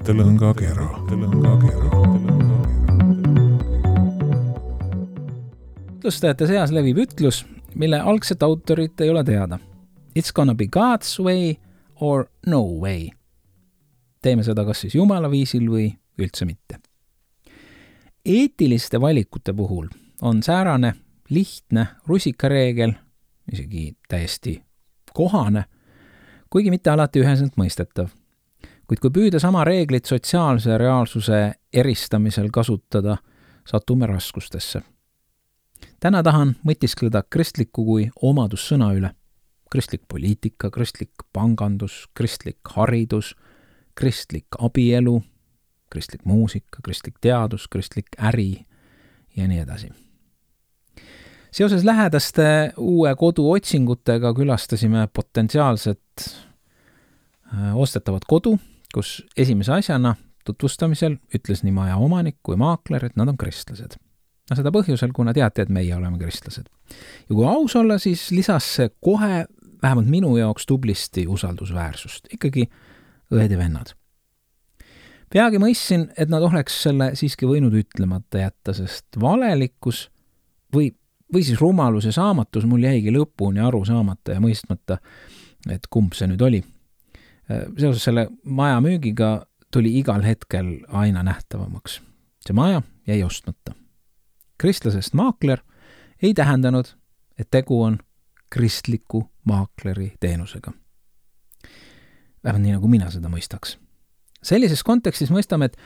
mõttelõngakera. Ütlustajate seas levib ütlus, mille algset autorit ei ole teada. It's gonna be God's way or no way. Teeme seda kas siis Jumala viisil või üldse mitte. Eetiliste valikute puhul on säärane lihtne rusikareegel, isegi täiesti kohane, kuigi mitte alati üheselt mõistetav. Kuid kui püüda sama reeglit sotsiaalse reaalsuse eristamisel kasutada, satume raskustesse. Täna tahan mõtiskleda kristliku kui omadussõna üle. Kristlik poliitika, kristlik pangandus, kristlik haridus, kristlik abielu, kristlik muusika, kristlik teadus, kristlik äri ja nii edasi. Seoses lähedaste uue kodu otsingutega külastasime potentsiaalset ostetavat kodu, kus esimese asjana tutvustamisel ütles nii maja omanik kui maakler, et nad on kristlased. Seda põhjusel, kuna teate, et meie oleme kristlased. Ja kui aus olla, siis lisas see kohe vähemalt minu jaoks tublisti usaldusväärsust. Ikkagi õed ja vennad. Peagi mõistsin, et nad oleks selle siiski võinud ütlemata jätta, sest valelikkus või siis rumalus ja saamatus mul jäigi lõpuni aru saamata ja mõistmata, et kumb see nüüd oli. Seoses selle maja müügiga tuli igal hetkel aina nähtavamaks. See maja jäi ostmata. Kristlasest maakler ei tähendanud, et tegu on kristliku maakleri teenusega. Vähemalt nii, nagu mina seda mõistaks. Sellises kontekstis mõistame, et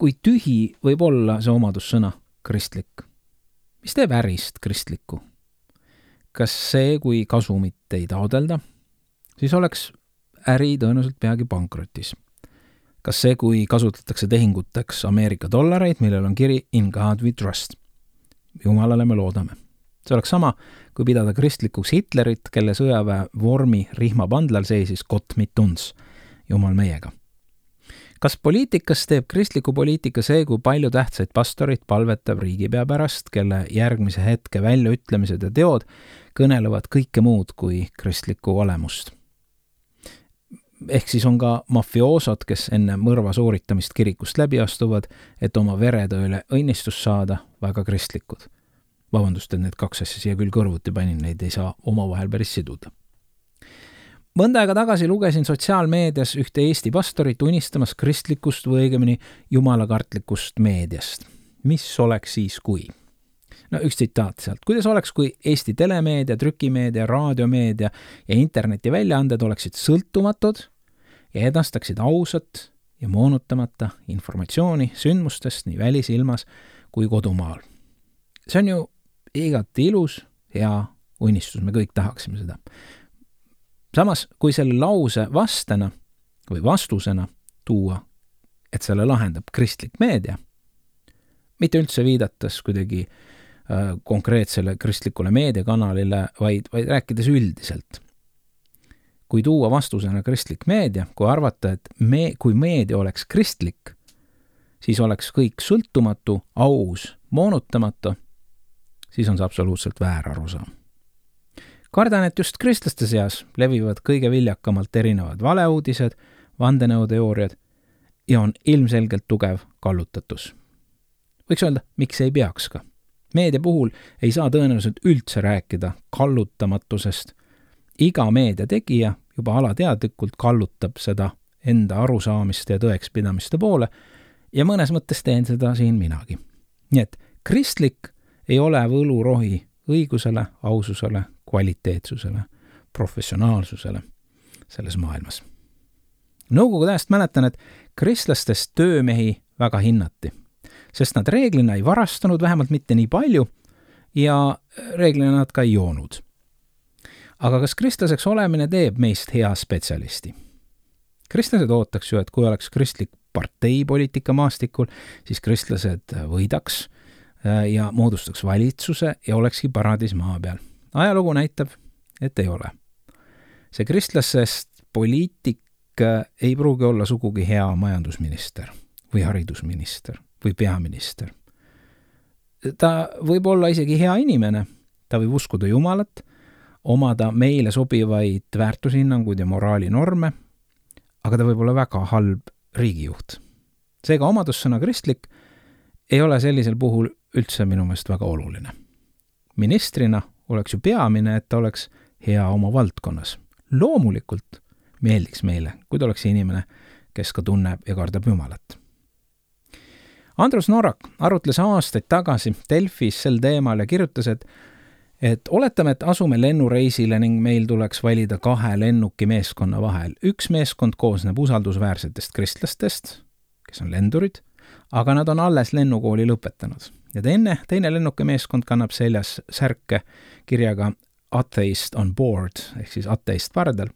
kui tühi võib olla see omadussõna kristlik. Mis teeb ärist kristlikku? Kas see, kui kasumit ei taodelda, siis oleks äri tõenäoliselt peagi pankrotis. Kas see, kui kasutatakse tehinguteks Ameerika dollareid, millel on kiri In God we trust? Jumalale me loodame. See oleks sama, kui pidada kristlikuks Hitlerit, kelle sõjaväe vormi rihmapandlal seisis Gott mit uns, Jumal meiega. Kas poliitikas teeb kristliku poliitika see, kui palju tähtsaid pastorit palvetab riigipea pärast, kelle järgmise hetke väljaütlemised ja teod kõnelevad kõike muud kui kristlikku olemust? Ehk siis on ka mafioosod, kes enne mõrva sooritamist kirikust läbi astuvad, et oma veretööle õnnistus saada, väga kristlikud. Vabandust, et need kaks asja siia küll kõrvuti panin, neid ei saa omavahel päris siduda. Mõnda aega tagasi lugesin sotsiaalmeedias ühte Eesti pastorit unistamas kristlikust või õigemini jumalakartlikust meediast. Mis oleks siis kui? No üks tsitaat sealt. Kuidas oleks, kui Eesti telemeedia, trükimeedia, raadiomeedia ja interneti väljaanded oleksid sõltumatud ja edastaksid ausat ja moonutamata informatsiooni sündmustest nii välisilmas kui kodumaal. See on ju igati ilus, hea unistus, me kõik tahaksime seda. Samas, kui selle lause vastena või vastusena tuua, et selle lahendab kristlik meedia, mitte üldse viidates kuidagi konkreetsele kristlikule meediakanalile, vaid rääkides üldiselt. Kui tuua vastusena kristlik meedia, kui arvata, et kui meedia oleks kristlik, siis oleks kõik sõltumatu, aus, moonutamatu, siis on see absoluutselt väär arusaam. Kardan, et just kristlaste seas levivad kõige viljakamalt erinevad valeuudised, vandenõuteooriad ja on ilmselgelt tugev kallutatus. Võiks öelda, miks ei peaks ka. Meedia puhul ei saa tõenäoliselt üldse rääkida kallutamatusest. Iga meedia tegija juba alateadlikult kallutab seda enda arusaamist ja tõekspidamiste poole ja mõnes mõttes teen seda siin minagi. Nii et kristlik ei ole võlurohi õigusele, aususele, kvaliteetsusele, professionaalsusele selles maailmas. Nõukogude ajast mäletan, et kristlastest töömehi väga hinnati, sest nad reeglina ei varastanud, vähemalt mitte nii palju, ja reeglina nad ka ei joonud. Aga kas kristlaseks olemine teeb meist hea spetsialisti? Kristlased ootaks ju, et kui oleks kristlik partei poliitika maastikul, siis kristlased võidaks ja moodustaks valitsuse ja olekski paradiis maa peal. Ajalugu näitab, et ei ole. See kristlasest poliitik ei pruugi olla sugugi hea majandusminister või haridusminister või peaminister. Ta võib olla isegi hea inimene, ta võib uskuda Jumalat, omada meile sobivaid väärtushinnanguid ja moraalinorme, aga ta võib olla väga halb riigijuht. Seega omadussõna kristlik ei ole sellisel puhul üldse minu meelest väga oluline. Ministrina oleks ju peamine, et ta oleks hea oma valdkonnas. Loomulikult meeldiks meile, kui ta oleks inimene, kes ka tunneb ja kardab Jumalat. Andrus Norak arutles aastaid tagasi Delfis sel teemal ja kirjutas, et oletame, et asume lennureisile ning meil tuleks valida 2 lennuki meeskonna vahel. Üks meeskond koosneb usaldusväärsetest kristlastest, kes on lendurid, aga nad on alles lennukooli lõpetanud. Ja teine lennuki meeskond kannab seljas särke kirjaga Atheist on board, ehk siis ateist pardal,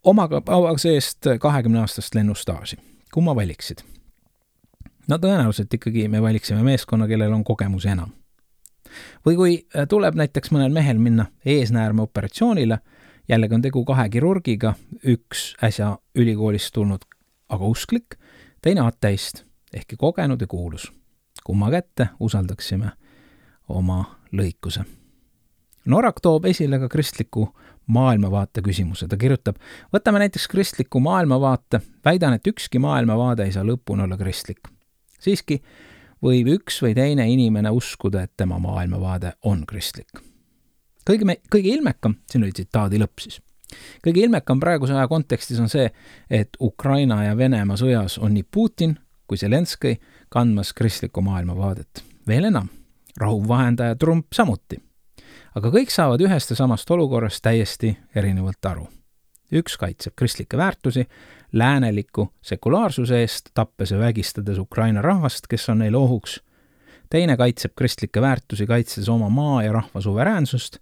omaga seest 20-aastast lennustaaži. Kumma valiksid? No tõenäoliselt ikkagi me valiksime meeskonna, kellel on kogemus enam. Või kui tuleb näiteks mõnel mehel minna eesnäärme operatsioonile, jällegi on tegu 2 kirurgiga, üks äsja ülikoolist tulnud, aga usklik, teine ateist, ehkki kogenud ja kuulus. Kumma kätte usaldaksime oma lõikuse. Norak toob esile ka kristliku maailmavaate küsimuse. Ta kirjutab, võtame näiteks kristliku maailmavaate, väidan, et ükski maailmavaade ei saa lõpuni olla kristlik. Siiski võib üks või teine inimene uskuda, et tema maailmavaade on kristlik. Kõige ilmekam, siin oli tsitaadi lõpp siis, kõige ilmekam praeguse aja kontekstis on see, et Ukraina ja Venemaa sõjas on nii Putin kui Zelenskõi kandmas kristlikku maailmavaadet. Veel enam, rahuvahendaja Trump samuti. Aga kõik saavad ühest ja samast olukorrast täiesti erinevalt aru. Üks kaitseb kristlikke väärtusi, lääneliku sekulaarsuse eest, tappes ja vägistades Ukraina rahvast, kes on neil ohuks. Teine kaitseb kristlikke väärtusi, kaitses oma maa ja rahva suveräänsust.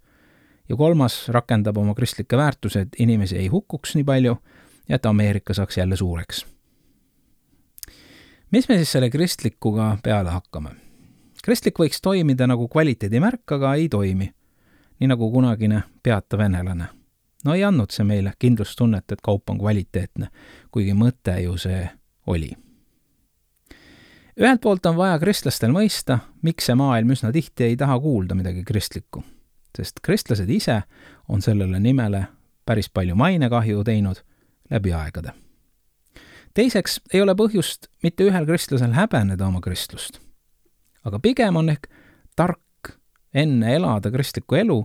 Ja 3. rakendab oma kristlikke väärtusi, et inimesi ei hukkuks nii palju ja et Ameerika saaks jälle suureks. Mis me siis selle kristlikuga peale hakkame? Kristlik võiks toimida nagu kvaliteedimärk, aga ei toimi. Nii nagu kunagine peata venelane. No ei andnud see meile kindlustunnet, et kaup on kvaliteetne, kuigi mõte ju see oli. Ühelt poolt on vaja kristlastel mõista, miks see maailm üsna tihti ei taha kuulda midagi kristlikku, sest kristlased ise on sellele nimele päris palju mainekahju teinud läbi aegade. Teiseks ei ole põhjust mitte ühel kristlasel häbeneda oma kristlust, aga pigem on ehk tark enne elada kristlikku elu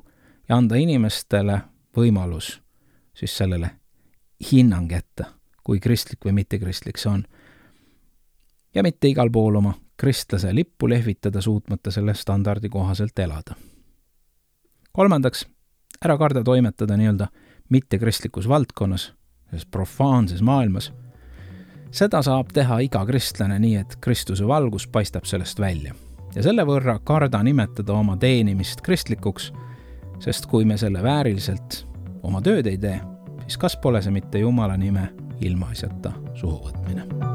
ja anda inimestele võimalus siis sellele hinnang jätta, kui kristlik või mittekristlik see on. Ja mitte igal pool oma kristlase lippu lehvitada suutmata selle standardi kohaselt elada. 3. ära karda toimetada nii-öelda mittekristlikus valdkonnas, selles profaanses maailmas. Seda saab teha iga kristlane nii, et Kristuse valgus paistab sellest välja. Ja selle võrra karda nimetada oma teenimist kristlikuks, sest kui me selle vääriliselt oma tööd ei tee, siis kas pole see mitte Jumala nime ilmaasjata suhu võtmine.